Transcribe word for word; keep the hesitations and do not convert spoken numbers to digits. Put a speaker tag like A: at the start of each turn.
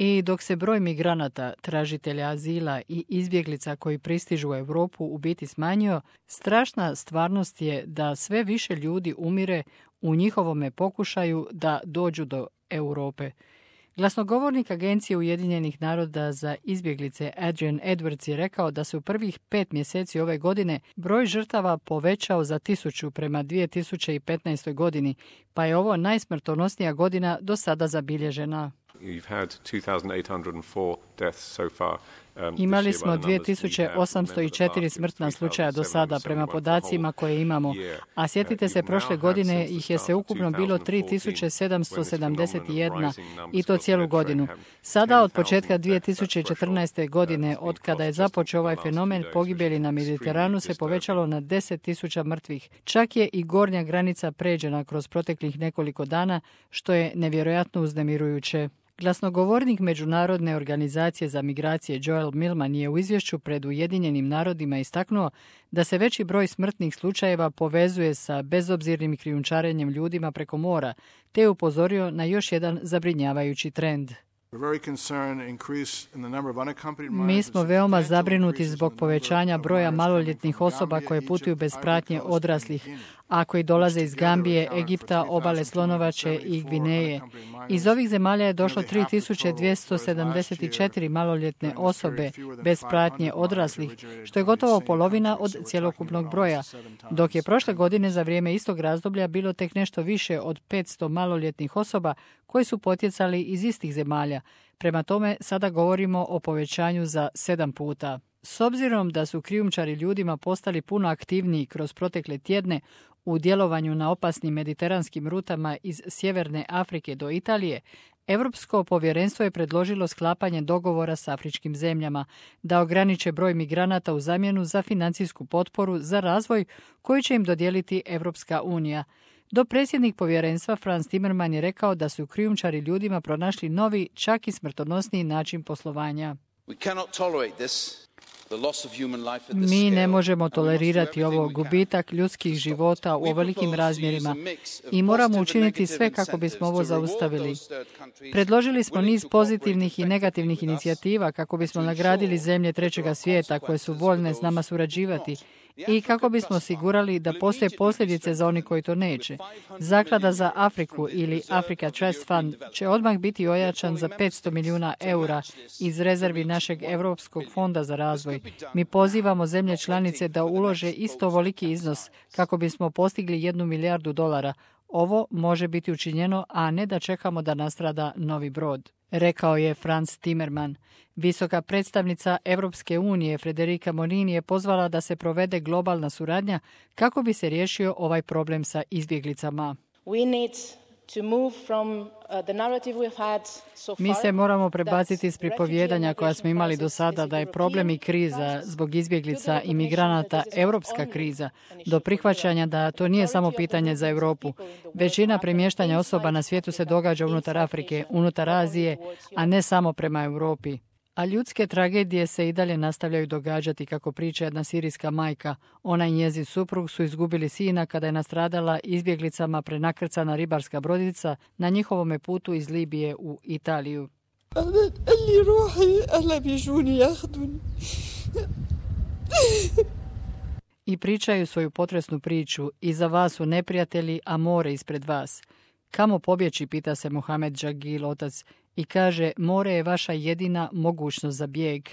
A: I dok se broj migranata, tražitelja azila i izbjeglica koji pristižu u Europu u biti smanjio, strašna stvarnost je da sve više ljudi umire u njihovome pokušaju da dođu do Europe. Glasnogovornik Agencije Ujedinjenih naroda za izbjeglice Adrian Edwards je rekao da se u prvih pet mjeseci ove godine broj žrtava povećao za tisuću prema dvije tisuće petnaestoj godini, pa je ovo najsmrtonosnija godina do sada zabilježena. Imali smo dvije tisuće osamsto četiri smrtna slučaja do sada prema podacima koje imamo, a sjetite se prošle godine ih je sveukupno bilo tri tisuće sedamsto sedamdeset jedan i to cijelu godinu. Sada od početka dvije tisuće četrnaeste. godine, od kada je započeo ovaj fenomen, pogibeli na Mediteranu se povećalo na deset tisuća mrtvih. Čak je i gornja granica pređena kroz proteklih nekoliko dana, što je nevjerojatno uznemirujuće. Glasnogovornik Međunarodne organizacije za migracije Joel Millman je u izvješću pred Ujedinjenim narodima istaknuo da se veći broj smrtnih slučajeva povezuje sa bezobzirnim krijumčarenjem ljudima preko mora, te je upozorio na još jedan zabrinjavajući trend. Mi smo veoma zabrinuti zbog povećanja broja maloljetnih osoba koje putuju bez pratnje odraslih, a koji dolaze iz Gambije, Egipta, obale Slonovače i Gvineje. Iz ovih zemalja je došlo tri tisuće dvjesto sedamdeset četiri maloljetne osobe bez pratnje odraslih, što je gotovo polovina od cjelokupnog broja, dok je prošle godine za vrijeme istog razdoblja bilo tek nešto više od petsto maloljetnih osoba koji su potjecali iz istih zemalja. Prema tome, sada govorimo o povećanju za sedam puta. S obzirom da su krijumčari ljudima postali puno aktivniji kroz protekle tjedne u djelovanju na opasnim mediteranskim rutama iz Sjeverne Afrike do Italije, Europsko povjerenstvo je predložilo sklapanje dogovora s afričkim zemljama da ograniče broj migranata u zamjenu za financijsku potporu za razvoj koju će im dodijeliti Europska unija. Dopredsjednik povjerenstva Frans Timmermans je rekao da su krijumčari ljudima pronašli novi, čak i smrtonosniji način poslovanja. Mi ne možemo tolerirati ovo gubitak ljudskih života u ovolikim razmjerima i moramo učiniti sve kako bismo ovo zaustavili. Predložili smo niz pozitivnih i negativnih inicijativa kako bismo nagradili zemlje trećega svijeta koje su voljne s nama surađivati i kako bismo osigurali da postoje posljedice za oni koji to neće. Zaklada za Afriku ili Africa Trust Fund će odmah biti ojačan za petsto milijuna eura iz rezervi našeg Europskog fonda za razvoj. Mi pozivamo zemlje članice da ulože isto ovoliki iznos kako bismo postigli jednu milijardu dolara. Ovo može biti učinjeno, a ne da čekamo da nastrada novi brod, rekao je Frans Timmermans. Visoka predstavnica Europske unije Federica Mogherini je pozvala da se provede globalna suradnja kako bi se riješio ovaj problem sa izbjeglicama. Mi se moramo prebaciti iz pripovjedanja koja smo imali do sada da je problem i kriza zbog izbjeglica i migranata europska kriza, do prihvaćanja da to nije samo pitanje za Europu. Većina premještanja osoba na svijetu se događa unutar Afrike, unutar Azije, a ne samo prema Europi. A ljudske tragedije se i dalje nastavljaju događati, kako priča jedna sirijska majka. Ona i njezin suprug su izgubili sina kada je nastradala izbjeglicama prenakrcana ribarska brodica na njihovome putu iz Libije u Italiju. I pričaju svoju potresnu priču. Iza vas su neprijatelji, a more ispred vas. Kamo pobjeći, pita se Mohamed Džagil, otac, i kaže, more je vaša jedina mogućnost za bijeg.